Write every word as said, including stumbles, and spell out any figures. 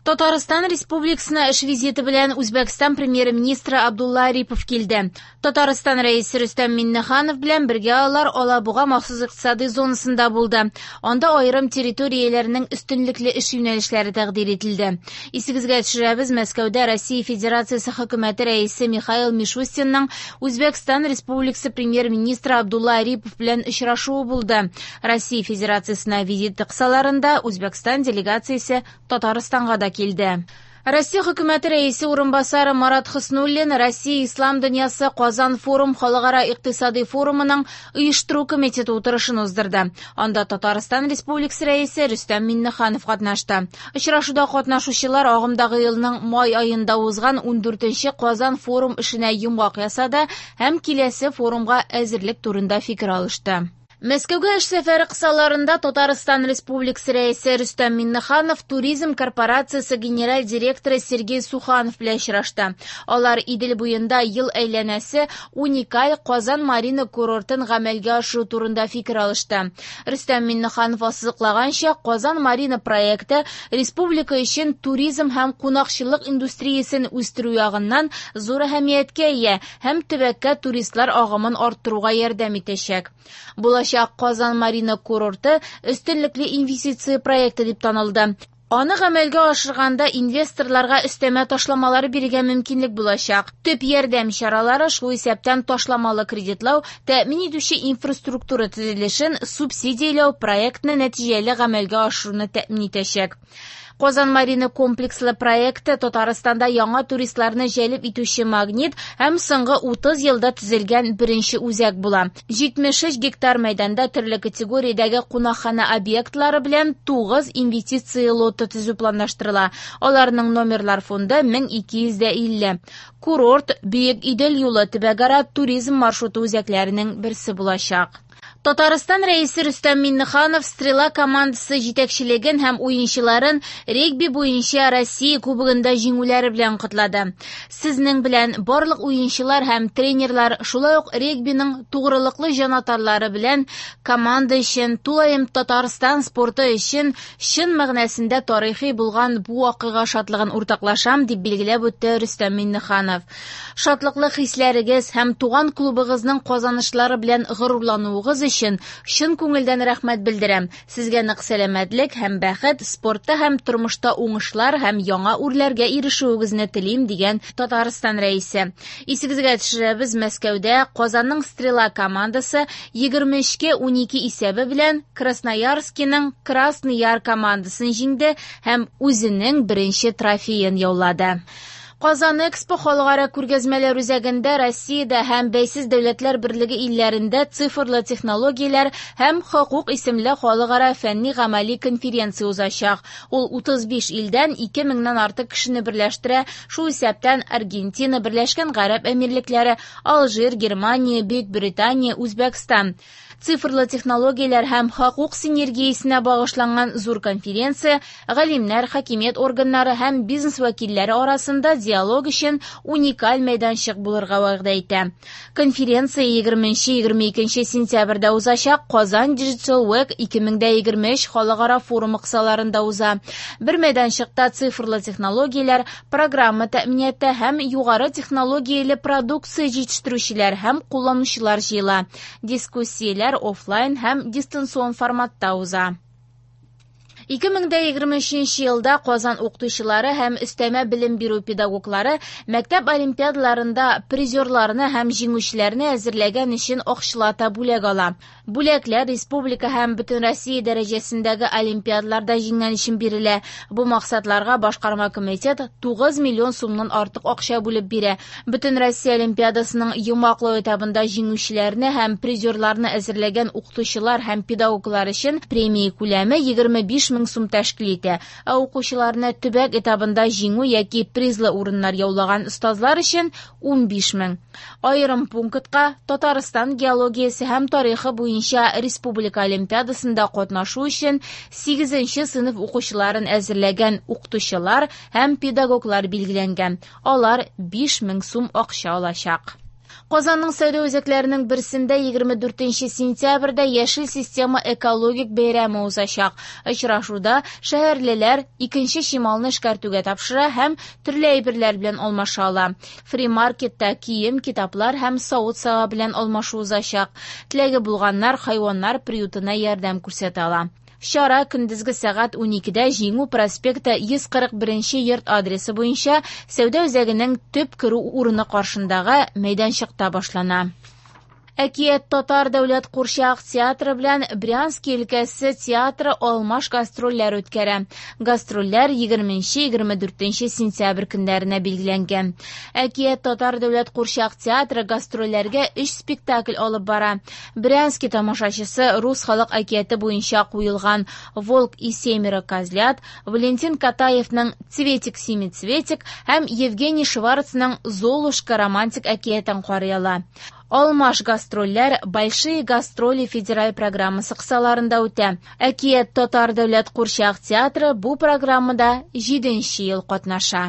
Татарстан Республикасына эш визиты белән Үзбәкстан премьер-министры Абдулла Арипов килде. Татарстан Рәисе Рөстәм Миңнеханов белән бергә алар Алабуга махсус икътисади зонасында булды. Анда аерым территорияләрнең өстенлекле эш юнәлешләре тәкъдир ителде. Исегезгә төшерәбез, Мәскәүдә Россия Федерациясе хөкүмәте рәисе Михаил Мишустинның Үзбәкстан Республикасы премьер-министры Абдулла Арипов белән очрашуы булды. Россия Федерациясенә визиты кысаларында Үзбәкстан делегациясе Татарстанга да килде. Россия хөкүмәте рәисе урынбасары Марат Хөснуллин Россия Ислам дөньясы Казан форум халыкара икътисади форумының оештыру комитеты утырышын уздырды. Анда Татарстан Республикасы рәисе Рөстәм Миңнеханов катнашты. Очрашуда катнашучылар агымдагы елның май аенда узган ундүртенче Казан форум эшенә йомгак ясады һәм киләсе форумга әзерлек турында фикер алышты. Мәскәүгә эш сәфәре кысаларында Татарстан Республикасы рәисе Рөстәм Миңнеханов Туризм корпорациясе генераль директоры Сергей Суханов белән очрашты. Алар Идел буенда ел әйләнәсе уникаль Казан Марина курортын гамәлгә ашыру турында фикер алышты. Рөстәм Миңнеханов ассызыклаганча, Казан Марина проекты республика өчен туризм һәм кунакчыллык индустриясен үстерү ягыннан зур әһәмияткә ия һәм төбәккә туристлар агымын арттыруга ярдәм итәчәк. Булачак Казан Марина курорты өстенлекле инвестиция проекты дип танылды. Аны гамәлгә ашырганда инвесторларга өстәмә ташламалар бирергә мөмкинлек булачак. Төп ярдәм чаралары, шул исәптән ташламалы кредитлау, тәэмин итүче инфраструктура төзелешен субсидияләү проектны нәтиҗәле гамәлгә ашыруны тәэмин итәчәк. Казан Марина комплекслы проекты Татарстанда яңа туристларны җәлеп итүче магнит һәм соңгы утыз елда төзелгән беренче үзәк була. Җитмеш өч гектар мәйданда төрле категориядәге кунакхана объектлары белән тугыз инвестиция лоты төзү планлаштырыла. Аларның номерлар фонды мең ике йөз дә илле. Курорт Бөек Идел юлы төбәкара туризм маршруты үзәкләренең берсе булачак. Татарстан Рәисе Рөстәм Миңнеханов Стрела командасы җитәкчелеген һәм уенчыларын регби буенча Россия кубогында җиңүләре белән котлады. Сезнең белән барлык уенчылар һәм тренерлар, шулай ук регбиның тугрылыклы җанатарлары белән команда өчен, тулаем Татарстан спорты өчен чын мәгънәсендә тарихи булган бу вакыйга шатлыгын уртаклашам, дип билгеләп үтте Рөстәм Миңнеханов. Шатлыклы хисләрегез һәм туган клубыгызның казанышлары белән горурлануыгыз өчен чын күңелдән рәхмәт белдерәм. Сезгә нык сәламәтлек һәм бәхет, спортта һәм тормышта уңышлар һәм яңа үрләргә ирешүегезне телим, дигән Татарстан рәисе. Исегезгә төшерәбез, Мәскәүдә Казанның Стрела командасы егерме өчкә унике исәбе белән Красноярскиның Красный Яр командасын җиңде һәм үзенең беренче трофеен яулады. Казан Экспо халыкара күргәзмәләр үзәгендә Россиядә һәм Бәйсез Дәүләтләр Берлеге илләрендә цифрлы технологияләр һәм хокук исемле халыкара фәнни-гамәли конференция узачак. Ул утыз биш илдән ике меңнән артык кешене берләштерә, шул исәптән Аргентина, Берләшкән Гарәп Әмирлекләре, Алжир, Германия, Бөек Британия, Үзбәкстан. Цифрлы технологияләр һәм хокук синергиясенә багышланган зур конференция галимнәр, хакимият органнары һәм бизнес вәкилләре арасында диалог өчен уникаль мәйданчык булырга вәгъдә итә. Конференция егерменче-егерме икенче сентябрьдә узачак Казан Digital Week ике мең дә егерме өч халыкара форумы кысаларында уза. Бер мәйданчыкта цифрлы технологияләр, программа тәэминаты һәм югары технологияле продукция җитештерүчеләр һәм кулланучылар җыела. Дискуссияләр офлайн һәм дистанцион форматта уза. Ике мең дә егерме өченче елда Казан укытучылары һәм өстәмә белем бирү педагоглары мәктәп олимпиадаларында призерларны һәм җиңүчеләрне әзерләгән өчен акчалата бүләк ала. Бүләкләр республика һәм бөтен Россия дәрәҗәсендәге олимпиадаларда җиңгән өчен бирелә. Бу максатларга башкарма комитет тугыз миллион сумнан артык акча бүлеп бирә. Бөтен Россия олимпиадасының йомгаклау этабында җиңүчеләрне һәм призерларны әзерләгән укытучылар һәм педагоглар өчен премия күләме егерме биш мең сум тәшкил итә. Ә укучыларны төбәк этабында җиңү яки призлы урыннар яулаган остазлар өчен унбиш мең. Аерым пунктка Татарстан геологиясе һәм тарихы буенча республика олимпиадасында катнашу өчен сигезенче сыйныф укучыларын әзерләгән укытучылар һәм педагоглар билгеләнгән. Алар биш мең сум акча алачак. Казанның сәүдә үзәкләренең берсендә егерме дүртенче сентябрьдә Яшел система экологик бәйрәме узачак. Очрашуда шәһәрлеләр икенче чималны эшкәртүгә тапшыра һәм төрле әйберләр белән алмаша ала. Фри-маркетта кием, китаплар һәм савыт-саба белән алмашу узачак. Теләге булганнар хайваннар приютына ярдәм күрсәтә ала. Чара көндезге сәгать уникедә Җиңү проспекты йөз кырык беренче йорт адресы буенча сәүдә үзәгенең төп керү урыны каршындагы мәйданчыкта башлана. Әкият татар дәүләт курчак театры белән Брянский өлкәсе театры алмаш гастрольләр үткәрә. Гастрольләр егерменче егерме дүртенче сентябрь көннәренә билгеләнгән. Әкият татар дәүләт курчак театры гастрольләргә өч спектакль алып бара. Брянский тамашачысы рус халык әкияте буенча куелган Волк и семеро козлят, Валентин Катаевның Цветик семицветик һәм Евгений Шварцның Золушка романтик әкиятен карый ала. Алмаш гастрольләр Большие гастроли федераль программасы кысаларында үтә. Әкият татар дәүләт курчак театры бу программада җиденче ел катнаша.